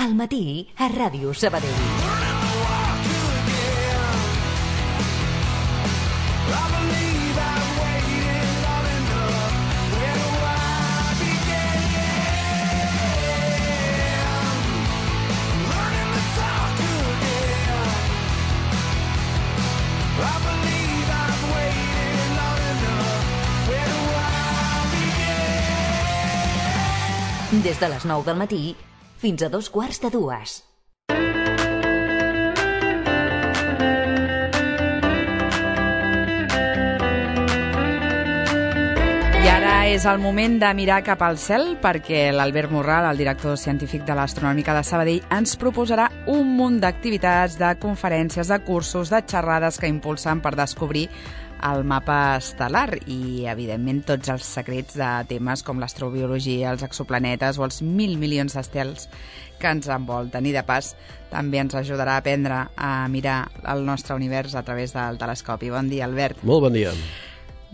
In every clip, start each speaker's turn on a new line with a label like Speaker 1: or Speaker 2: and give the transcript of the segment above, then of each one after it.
Speaker 1: al matí a Ràdio Sabadell. Des de les 9 del matí fins a 2:45.
Speaker 2: I ara és el moment de mirar cap al cel perquè l'Albert Morral, el director científic de l'Astronòmica de Sabadell, ens proposarà un munt d'activitats, de conferències, de cursos, de xerrades que impulsen per descobrir el mapa estel·lar i, evidentment, tots els secrets de temes com l'astrobiologia, els exoplanetes o els 1.000 milions d'estels que ens envolten. I, de pas, també ens ajudarà a aprendre a mirar el nostre univers a través del telescopi. Bon dia, Albert.
Speaker 3: Molt bon dia.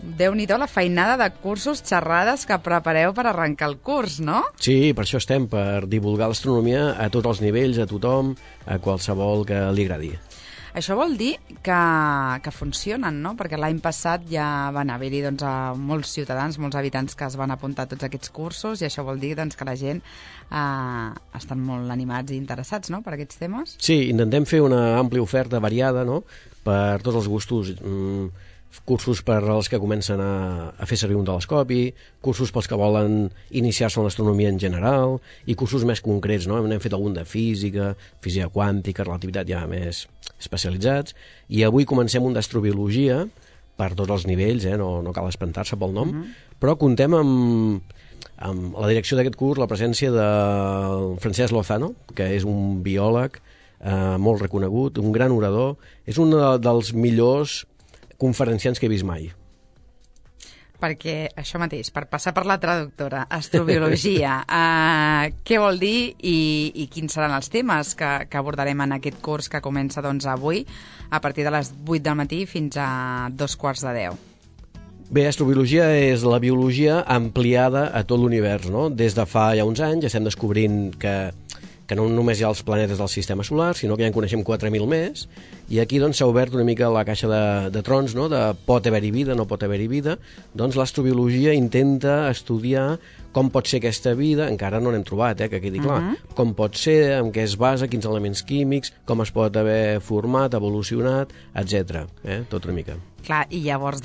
Speaker 2: Déu-n'hi-do la feinada de cursos, xerrades que prepareu per arrencar el curs, no?
Speaker 3: Sí, per això estem, per divulgar l'astronomia a tots els nivells, a tothom, a qualsevol que li agradi.
Speaker 2: Això vol dir que funcionen, no? Perquè l'any passat ja van haver-hi molts ciutadans, molts habitants que es van apuntar a tots aquests cursos i això vol dir que la gent estan molt animats i interessats, no?, per aquests temes.
Speaker 3: Sí, intentem fer una àmplia oferta variada, no?, per tots els gustos. Cursos per als que comencen a fer servir un telescopi, cursos pels que volen iniciar-se en l'astronomia en general i cursos més concrets, no? N'hem fet algun de física, física quàntica, relativitat ja més especialitzats, i avui comencem un d'astrobiologia per tots els nivells, no cal espantar-se pel nom, però contem amb la direcció d'aquest curs la presència de Francesc Lozano, que és un biòleg molt reconegut, un gran orador, és un dels millors conferenciants que he vist mai.
Speaker 2: Perquè això mateix, per passar per la traductora, astrobiologia, què vol dir i quins seran els temes que abordarem en aquest curs que comença avui a partir de les 8 del matí fins a 2:45.
Speaker 3: Bé, astrobiologia és la biologia ampliada a tot l'univers, no? Des de fa ja uns anys estem descobrint que no només hi ha els planetes del sistema solar, sinó que ja en coneixem 4.000 més, i aquí s'ha obert una mica la caixa de trons, no?, de pot haver-hi vida, no pot haver-hi vida. Doncs l'astrobiologia intenta estudiar com pot ser aquesta vida, encara no n'hem trobat, que quedi clar, com pot ser, en què es basa, quins elements químics, com es pot haver format, evolucionat, etc. Tot una mica.
Speaker 2: Clar, i llavors,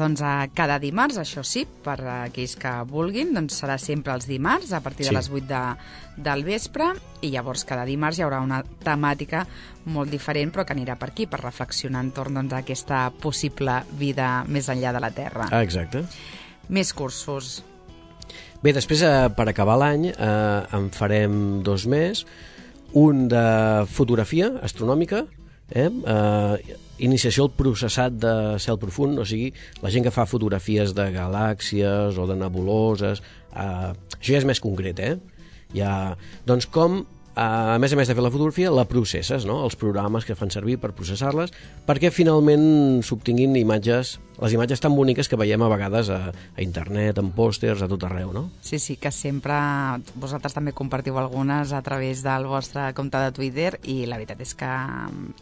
Speaker 2: cada dimarts, això sí, per aquells que vulguin, serà sempre els dimarts, a partir de les 8 del vespre, i llavors cada dimarts hi haurà una temàtica molt diferent, però que anirà per aquí, per reflexionar entorn d'aquesta possible vida més enllà de la Terra.
Speaker 3: Exacte.
Speaker 2: Més cursos.
Speaker 3: Bé, després, per acabar l'any, en farem 2 més. Un de fotografia astronòmica, iniciació al processat de cel profund, o sigui, la gent que fa fotografies de galàxies o de nebuloses, això ja és més concret, doncs com, a més de fer la fotografia, la processes, no?, els programes que fan servir per processar-les, perquè finalment s'obtinguin les imatges tan boniques que veiem a vegades a internet, en pòsters, a tot arreu, no?
Speaker 2: Sí, que sempre vosaltres també compartiu algunes a través del vostre compte de Twitter i la veritat és que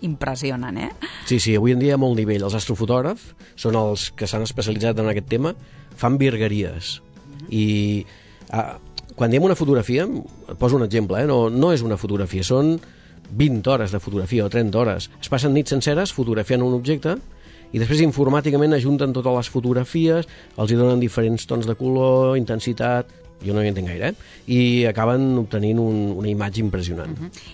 Speaker 2: impressionen,
Speaker 3: Sí, avui en dia hi ha molt nivell. Els astrofotògrafs són els que s'han especialitzat en aquest tema, fan virgueries. I quan diem una fotografia, et poso un exemple, no és una fotografia, són 20 hores de fotografia o 30 hores. Es passen nits senceres fotografiant un objecte i després informàticament ajunten totes les fotografies, els hi donen diferents tons de color, intensitat, jo no hi entenc gaire, i acaben obtenint una imatge impressionant.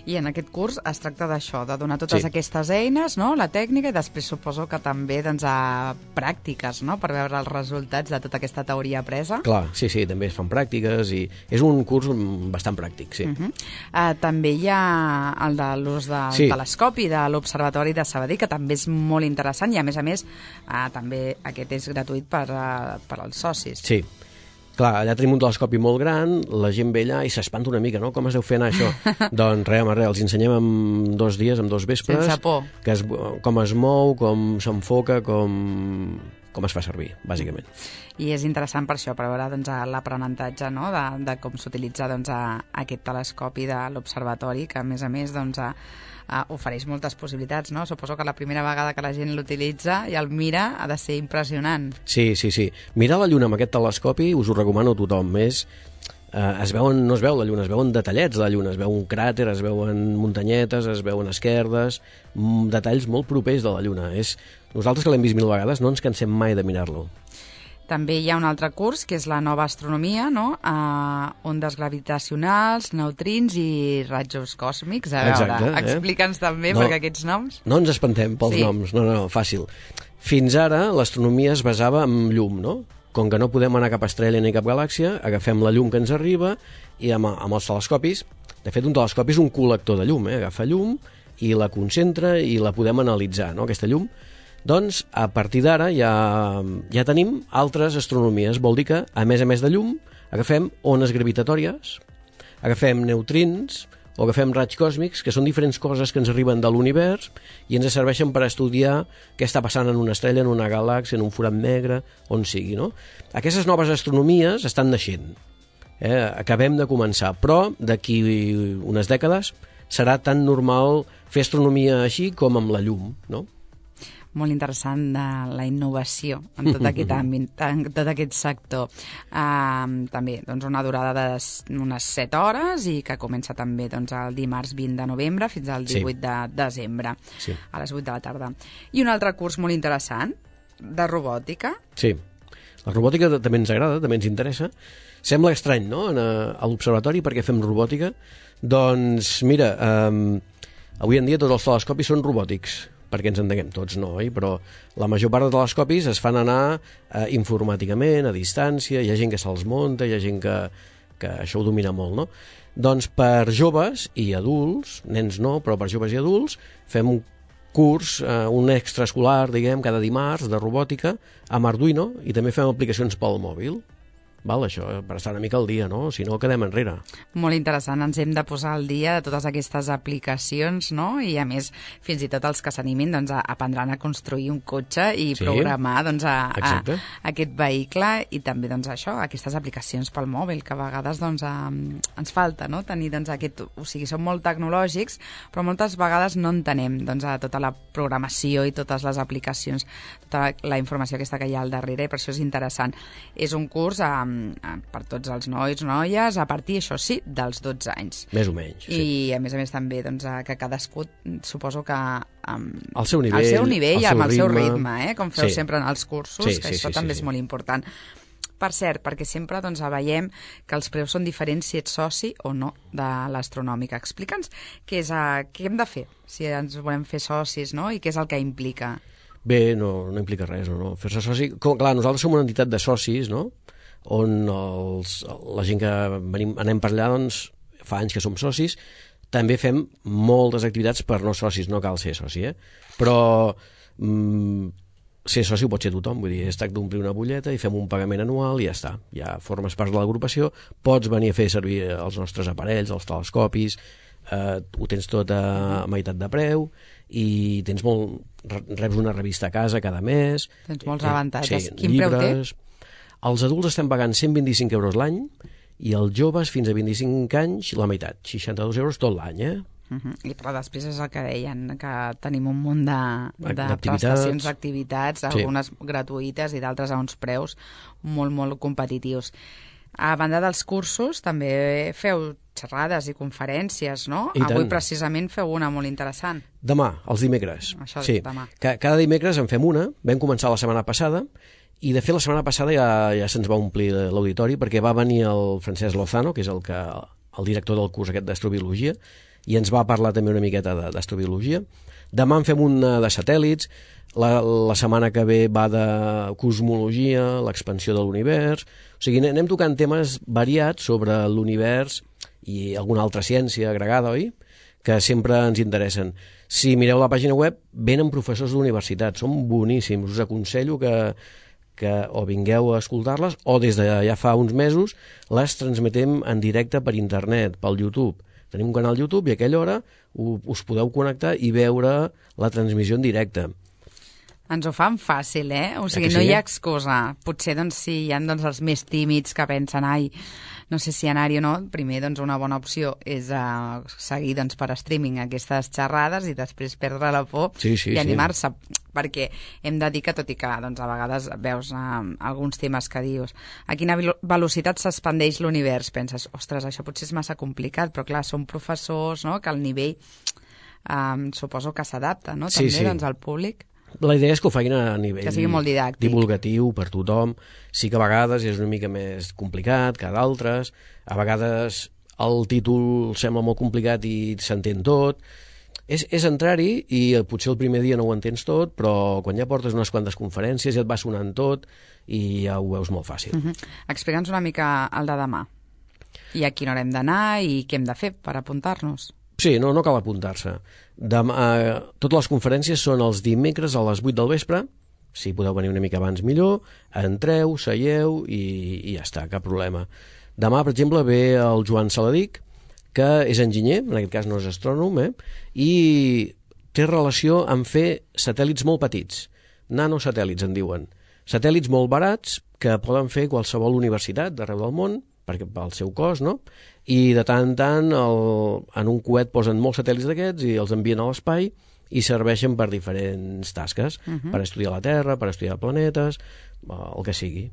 Speaker 2: I en aquest curs es tracta d'això, de donar totes aquestes eines, no?, la tècnica, i després suposo que també a pràctiques, no?, per veure els resultats de tota aquesta teoria apresa.
Speaker 3: Clar, sí, també es fan pràctiques i és un curs bastant pràctic, sí.
Speaker 2: També hi ha el de l'ús del telescopi de l'Observatori de Sabadell, que també és molt interessant i, a més, també aquest és gratuït per als socis.
Speaker 3: Sí. Clar, allà tenim un telescopi molt gran, la gent ve allà i s'espanta una mica, no? Com es deu fer anar això? Doncs res, els ensenyem en 2 dies, en 2 vespres.
Speaker 2: Sense por.
Speaker 3: Com es mou, com s'enfoca, com com es fa servir, bàsicament.
Speaker 2: I és interessant per això, per veure doncs, l'aprenentatge, no? de com s'utilitza doncs, aquest telescopi de l'observatori, que a més doncs, ofereix moltes possibilitats, no? Suposo que la primera vegada que la gent l'utilitza i el mira ha de ser impressionant.
Speaker 3: Sí. Mirar la Lluna amb aquest telescopi us ho recomano a tothom. No es veu la Lluna, es veuen detallets de la Lluna, es veu un cràter, es veuen muntanyetes, es veuen esquerdes, detalls molt propers de la Lluna. Nosaltres que l'hem vist 1000 vegades no ens cansem mai de mirar-lo.
Speaker 2: També hi ha un altre curs, que és la nova astronomia, no? Ondes gravitacionals, neutrins i rajos còsmics. A veure, explica'ns també, perquè aquests noms...
Speaker 3: No ens espantem pels noms, no, fàcil. Fins ara l'astronomia es basava en llum, no? Com que no podem anar cap estrella ni cap galàxia, agafem la llum que ens arriba i amb els telescopis, de fet un telescopi és un col·lector de llum, agafa llum i la concentra i la podem analitzar, no? Aquesta llum. Doncs a partir d'ara ja tenim altres astronomies, vol dir que a més de llum agafem ones gravitatòries, agafem neutrins o agafem raigs còsmics, que són diferents coses que ens arriben de l'univers i ens serveixen per estudiar què està passant en una estrella, en una galàxia, en un forat negre, on sigui, no? Aquestes noves astronomies estan naixent. Acabem de començar, però d'aquí unes dècades serà tan normal fer astronomia així com amb la llum, no?
Speaker 2: Molt interessant de la innovació en tot aquest àmbit, en tot aquest sector. També doncs, una durada d'unes 7 hores i que comença també doncs, el dimarts 20 de novembre fins al 18 de desembre, a les 8 de la tarda. I un altre curs molt interessant, de robòtica.
Speaker 3: Sí, la robòtica també ens agrada, també ens interessa. Sembla estrany, no?, a l'observatori, perquè fem robòtica. Doncs mira, avui en dia tots els telescopis són robòtics, perquè ens entenguem tots, no, però la major part de telescopis es fan anar informàticament, a distància, hi ha gent que se'ls munta, hi ha gent que això ho domina molt, no? Doncs per joves i adults, nens no, però per joves i adults, fem un curs, un extraescolar, diguem, cada dimarts de robòtica amb Arduino i també fem aplicacions pel mòbil. Val, això, per estar una mica al dia, no? Si no, quedem enrere.
Speaker 2: Molt interessant, ens hem de posar al dia de totes aquestes aplicacions, no? I a més, fins i tot els que s'animin doncs, aprendran a construir un cotxe i programar doncs, aquest vehicle i també doncs, això, aquestes aplicacions pel mòbil, que a vegades doncs, ens falta, no? Tenir doncs, aquest... O sigui, som molt tecnològics, però moltes vegades no entenem doncs, tota la programació i totes les aplicacions, tota la informació aquesta que hi ha al darrere, i per això és interessant. És un curs per tots els nois, noies, a partir, això sí, dels 12 anys.
Speaker 3: Més o menys, sí.
Speaker 2: I a més també doncs, que cadascú, suposo que
Speaker 3: al seu nivell
Speaker 2: i amb el seu ritme, com feu sempre en els cursos, que això també és molt important. Per cert, perquè sempre doncs, veiem que els preus són diferents si ets soci o no de l'astronòmica. Explica'ns què hem de fer si ens volem fer socis, no? I què és el que implica.
Speaker 3: Bé, no implica res, no? Fer-se soci... Clar, nosaltres som una entitat de socis, no?, on la gent que anem per allà doncs, fa anys que som socis. També fem moltes activitats per no socis, no cal ser soci, però ser soci ho pot ser tothom, vull dir, es tracta d'omplir una butlleta i fem un pagament anual i ja està, ja formes part de l'agrupació, pots venir a fer servir els nostres aparells, els telescopis, ho tens tot a meitat de preu i reps una revista a casa cada mes.
Speaker 2: Tens molts avantatges. Quin preu té?
Speaker 3: Els adults estem pagant 125 euros l'any i els joves fins a 25 anys la meitat, 62 euros tot l'any,
Speaker 2: I però després és el que deien, que tenim un munt de prestacions, d'activitats, algunes gratuïtes i d'altres a uns preus molt, molt competitius. A banda dels cursos, també feu xerrades i conferències, no? Avui precisament feu una molt interessant.
Speaker 3: Demà, els dimecres.
Speaker 2: Això demà.
Speaker 3: Cada dimecres en fem una, vam començar la setmana passada, i de fet la setmana passada ja se'ns va omplir l'auditori perquè va venir el Francesc Lozano, que és el director del curs aquest d'astrobiologia, i ens va parlar també una miqueta d'astrobiologia. Demà en fem una de satèl·lits, la setmana que ve va de cosmologia, l'expansió de l'univers... O sigui, anem tocant temes variats sobre l'univers i alguna altra ciència agregada, oi?, que sempre ens interessen. Si mireu la pàgina web, venen professors d'universitat, són boníssims, us aconsello que o vingueu a escoltar-les o des de ja fa uns mesos les transmetem en directe per internet, pel YouTube. Tenim un canal YouTube i a aquella hora us podeu connectar i veure la transmissió en directe.
Speaker 2: Ens ho fan fàcil, O sigui, no hi ha excusa. Potser, doncs, si hi ha els més tímids que pensen, no sé si anar-hi o no, primer, doncs, una bona opció és seguir, doncs, per streaming aquestes xerrades i després perdre la por i animar-se. Perquè hem de dir que, tot i que doncs, a vegades veus alguns temes que dius a quina velocitat s'expandeix l'univers, penses, ostres, això potser és massa complicat, però clar, són professors, no?, que el nivell suposo que s'adapta, no?, també doncs, al públic.
Speaker 3: La idea és que ho facin a nivell
Speaker 2: que sigui molt didàctic,
Speaker 3: divulgatiu per tothom. Sí que a vegades és una mica més complicat que d'altres, a vegades el títol sembla molt complicat i s'entén tot. És entrar-hi i potser el primer dia no ho entens tot, però quan ja portes unes quantes conferències ja et va sonant tot i ja ho veus molt fàcil.
Speaker 2: Explica'ns una mica el de demà. I a quina hora hem d'anar i què hem de fer per apuntar-nos?
Speaker 3: Sí, no cal apuntar-se. Totes les conferències són els dimecres a les 8 del vespre. Si podeu venir una mica abans millor, entreu, seieu i ja està, cap problema. Demà, per exemple, ve el Joan Saladic, que és enginyer, en aquest cas no és astrònom, i té relació amb fer satèl·lits molt petits. Nanosatèl·lits, en diuen. Satèl·lits molt barats que poden fer qualsevol universitat d'arreu del món, perquè pel seu cost, no? I de tant en tant en un coet posen molts satèl·lits d'aquests i els envien a l'espai i serveixen per diferents tasques, per estudiar la Terra, per estudiar planetes, el que sigui.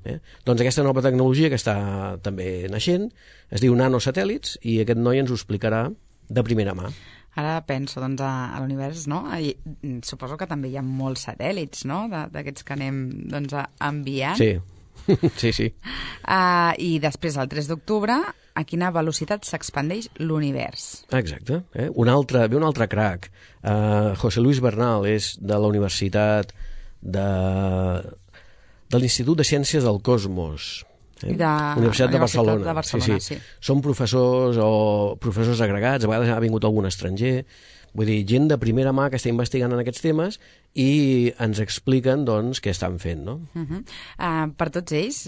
Speaker 3: Doncs aquesta nova tecnologia que està també naixent es diu nanosatèl·lits i aquest noi ens ho explicarà de primera mà.
Speaker 2: Ara penso doncs, a l'univers, no? Suposo que també hi ha molts satèl·lits, no?, d'aquests que anem doncs, enviant.
Speaker 3: Sí. Sí.
Speaker 2: I després, el 3 d'octubre, a quina velocitat s'expandeix l'univers.
Speaker 3: Exacte. Ve un altre crac. José Luis Bernal és de la Universitat de l'Institut de Ciències del Cosmos. Universitat de Barcelona. Sí. Són professors agregats, a vegades ha vingut algun estranger. Vull dir, gent de primera mà que està investigant en aquests temes i ens expliquen, doncs, què estan fent, no?
Speaker 2: Per tots ells,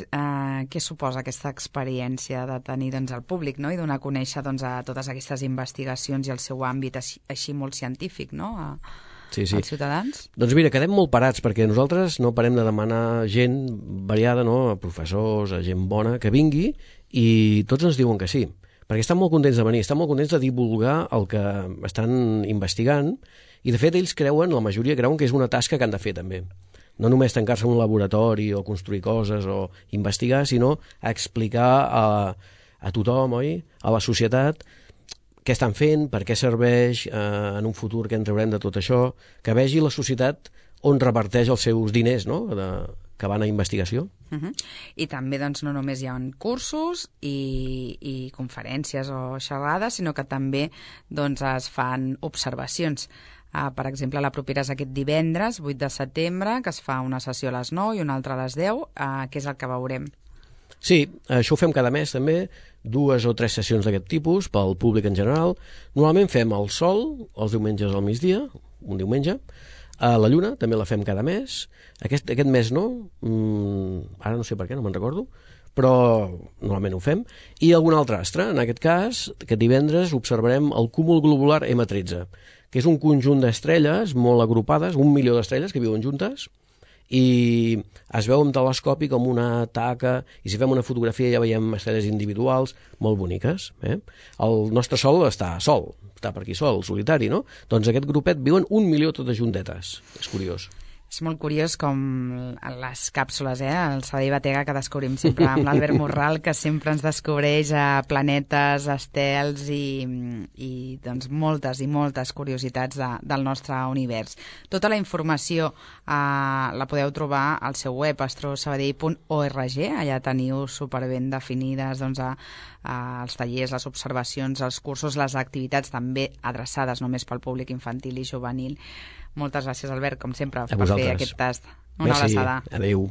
Speaker 2: què suposa aquesta experiència de tenir, doncs, el públic, no?, i donar a conèixer, doncs, a totes aquestes investigacions i el seu àmbit així molt científic, no?, als ciutadans? Doncs
Speaker 3: mira, quedem molt parats, perquè nosaltres no parem de demanar gent variada, no?, a professors, a gent bona, que vingui, i tots ens diuen que sí. Perquè estan molt contents de venir, estan molt contents de divulgar el que estan investigant i, de fet, ells la majoria creuen que és una tasca que han de fer, també. No només tancar-se en un laboratori o construir coses o investigar, sinó explicar a tothom, oi?, a la societat, què estan fent, per què serveix, en un futur què en traurem de tot això, que vegi la societat on reparteix els seus diners, no?, que van a investigació.
Speaker 2: I també, doncs, no només hi ha cursos i conferències o xerrades, sinó que també doncs, es fan observacions. Per exemple, la propera és aquest divendres, 8 de setembre, que es fa una sessió a les 9 i una altra a les 10, que és el que veurem.
Speaker 3: Sí, això ho fem cada mes també, 2 o 3 sessions d'aquest tipus pel públic en general. Normalment fem el sol, els diumenges al migdia, un diumenge. La lluna també la fem cada mes. Aquest mes no, ara no sé per què, no me'n recordo, però normalment ho fem. I algun altre astre, en aquest cas, aquest divendres observarem el cúmul globular M13, que és un conjunt d'estrelles molt agrupades, 1 milió d'estrelles que viuen juntes, i es veu amb telescopi com una taca, i si fem una fotografia ja veiem estrelles individuals molt boniques. El nostre Sol està per aquí sol, solitari, no? Doncs aquest grupet viuen 1 milió totes juntetes. És curiós.
Speaker 2: És molt curiós com les càpsules, el Sabadell Batega, que descobrim sempre amb l'Albert Morral, que sempre ens descobreix planetes, estels i doncs, moltes i moltes curiositats del nostre univers. Tota la informació la podeu trobar al seu web, astrosabadell.org. Allà teniu superben definides doncs, els tallers, les observacions, els cursos, les activitats també adreçades només pel públic infantil i juvenil. Moltes gràcies, Albert, com sempre, per fer aquest tast. Una abraçada.
Speaker 3: Adéu.